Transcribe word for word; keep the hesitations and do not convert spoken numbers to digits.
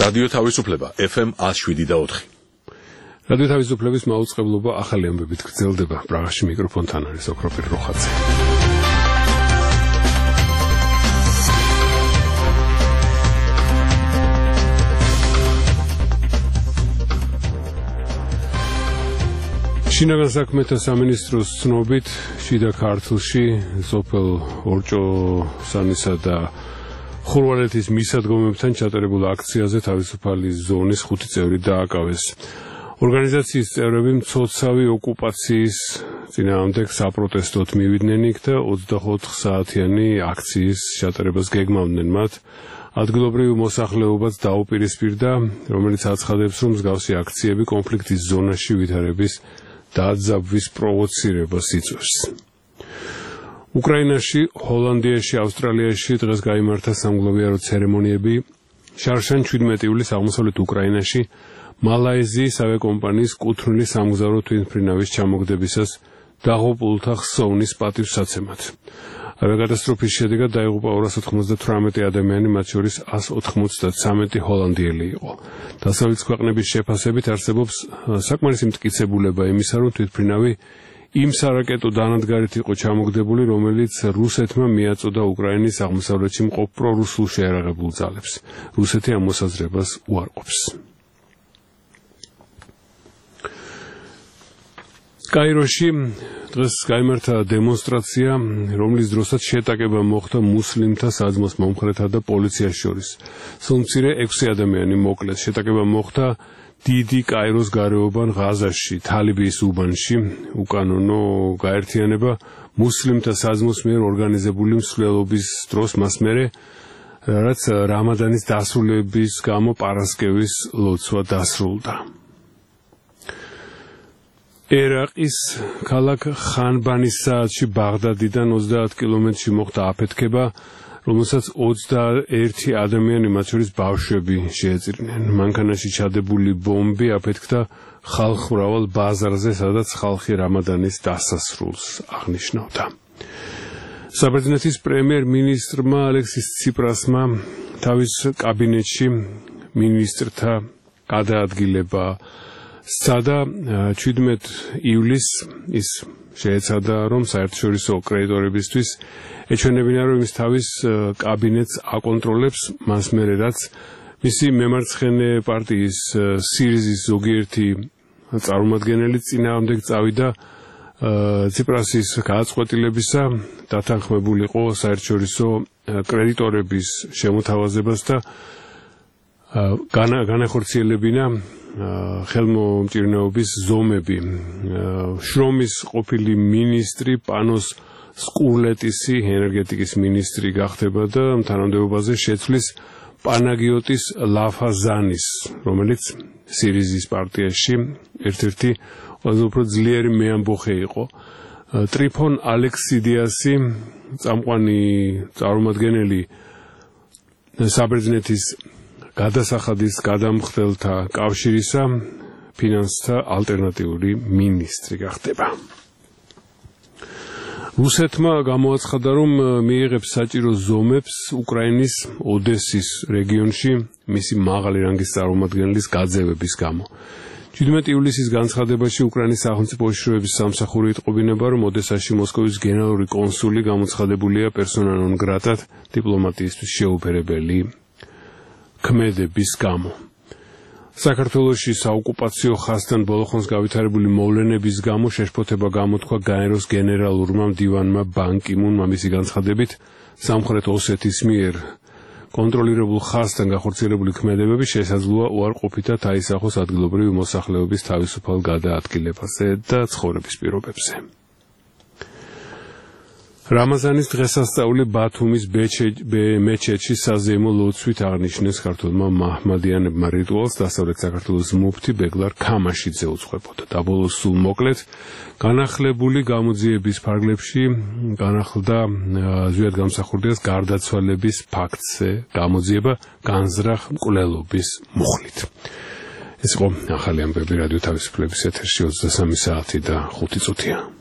რადიო თავისუფლება F M one oh seven და four. რადიო თავისუფლების მაუწყებლობა ახალი ამბებით გრძელდება. პრაღაში მიკროფონთან არის ოქროპირ როხაძე. შინაგან საქმეთა სამინისტროს ცნობით შიდა ქართლში სოფელ ორჭოსანისა და ხურვალეთის მისადგომებთან ჩატარებულ აქციაზე თავისუფალი ზონის ხუთი წევრი დააკავეს. ორგანიზაციის წევრები მცოცავი ოკუპაციის წინააღმდეგ საპროტესტოდ მივიდნენ იქ და ოცდაოთხ საათიანი აქციის ჩატარებას გეგმავდნენ მათ. ადგილობრივ მოსახლეობაც დაუპირისპირდა, რომელიც აცხადებს, რომ მსგავსი აქციები კონფლიქტის ზონაში ვითარების დაძაბვის პროვოცირებას იწვევს. უკრაინაში, ჰოლანდიაში, ავსტრალიაში დღეს გაიმართა სამგლოვიარო ცერემონიები. შარშან შვიდმეტი ივლისს აღმოსავლეთ უკრაინაში მალაიზიის ავიაკომპანიის კუთვნილი სამგზავრო თვითმფრინავის ჩამოგდებისას დაღუპულთა ხსოვნის პატივსაცემად. ავიაკატასტროფის შედეგად დაიღუპა ორას ოთხმოცდათვრამეტი ადამიანი, მათ შორის ას ოთხმოცდათრამეტი ჰოლანდიელი იყო. დასავლეთის ქვეყნების შეფასებით არსებობს საკმარისი მტკიცებულება იმისა, რომ თვითმფრინავი იმ სარაკეტო დანადგარით იყო ჩამოგდებული, რომელიც რუსეთმა მიაწოდა უკრაინის აღმოსავლეთში მყოფ პრორუსულ შეიარაღებულ ძალებს. რუსეთი ამ მოსაზრებას უარყოფს. კაიროში დღეს გაიმართა დემონსტრაცია, რომლის დროსაც შეტაკება მოხდა მუსლიმთა საძმოს მომხრეთა და პოლიციას შორის. სულ ექვსი ადამიანი მოკლეს. შეტაკება მოხდა დიდი კაიროს გარეუბან ღაზაში, თალიბიის უბანში. უკანონო გაერთიანება მუსლიმთა საძმოს მიერ ორგანიზებული მსვლელობის დროს მას მერე, რაც რამადანის დასრულების გამო პარასკევის ლოცვა დასრულდა. ერაყის ქალაქ ხანბანის საათში ბაღდადიდან ოცდაათ კილომეტრში მოხდა აფეთქება, რომელსაც ოცდაერთი ადამიანი, მათ შორის ბავშვები შეეწირნენ. მანქანაში ჩადებული ბომბი აფეთქდა ხალხმრავალ ბაზარზე, სადაც ხალხი რამადანის დასასრულს აღნიშნავდა. საბერძნეთის პრემიერ-მინისტრმა ალექსის ციპრასმა თავის კაბინეტში მინისტრთა გადაადგილება სცადა. შვიდმეტი ივლისს ის შეეცადა, რომ საერთაშორისო კრედიტორებისთვის ეჩვენებინა, რომ ის თავის კაბინეტს აკონტროლებს, მას მერე რაც მისი მემარცხენე პარტიის სირიზის ზოგიერთი წარმომადგენელი წინააღმდეგ წავიდა ციპრასის გადაწყვეტილებისა, დათანხმებულიყო საერთაშორისო კრედიტორების შემოთავაზებას და განახორციელებინა ხელმომჭირნეობის ზომები. შრომის ყოფილი მინისტრი პანოს სკურლეტისი ენერგეტიკის მინისტრი გახდება და თანამდებობაზე შეცვლის პანაგიოტის ლაფაზანის, რომელიც სირიზის პარტიაში ერთ-ერთი ყველაზე უფრო ძლიერი მეამბოხე იყო. ტრიფონ ალექსიდიასი, წამყვანი წარმომადგენელი საბერძნეთის გადასახადის გადამხდელთა კავშირისა ფინანსთა ალტერნატიული მინისტრი გახდება. რუსეთმა გამოაცხადა, რომ მიიღებს საჭირო ზომებს უკრაინის ოდესის რეგიონში მისი მაღალი რანგის წარმომადგენლის გაძევების გამო. შვიდმეტი ივლისის განცხადებაში უკრაინის სახელმწიფო უშიშროების სამსახური იტყობინება, რომ ოდესაში მოსკოვის გენერალური კონსული გამოცხადებულია პერსონა ნონ გრატად დიპლომატიისთვის შეუფერებელი ქმედების გამო. საქართველოში საოკუპაციო ხაზთან ბოლოხონს გავითარებული მოვლენების გამო შეშფოთება გამოთქვა გაეროს გენერალურმა მდივანმა ბან კი მუნმა. მისი განცხადებით, სამხრეთ ოსეთის მიერ კონტროლირებულ ხაზთან გახორციელებული ქმედებები შესაძლოა უარყოფითად აისახოს ადგილობრივი მოსახლეობის თავისუფალ გადაადგილებაზე და ცხოვრების პირობებზე. რამაზანის დღესასწაული ბათუმის მეჩეთში საზეიმო ლოცვით აღნიშნეს ქართველმა მაჰმადიანებმა რიტუალს. დასავლეთ საქართველოს მუფთი ბეგლარ ქამაშიძე უძღვებოდა. დაბოლოს სულ მოკლედ განახლებული გამოძიების ფარგლებში განახლდა ზვიად გამსახურდიას გარდაცვალების ფაქტზე გამოძიება განზრახ მკვლელობის მუხლით. ეს იყო ახალი ამბები რადიო თავისუფლების ეთერში ოცდასამი საათი და ხუთი წუთია.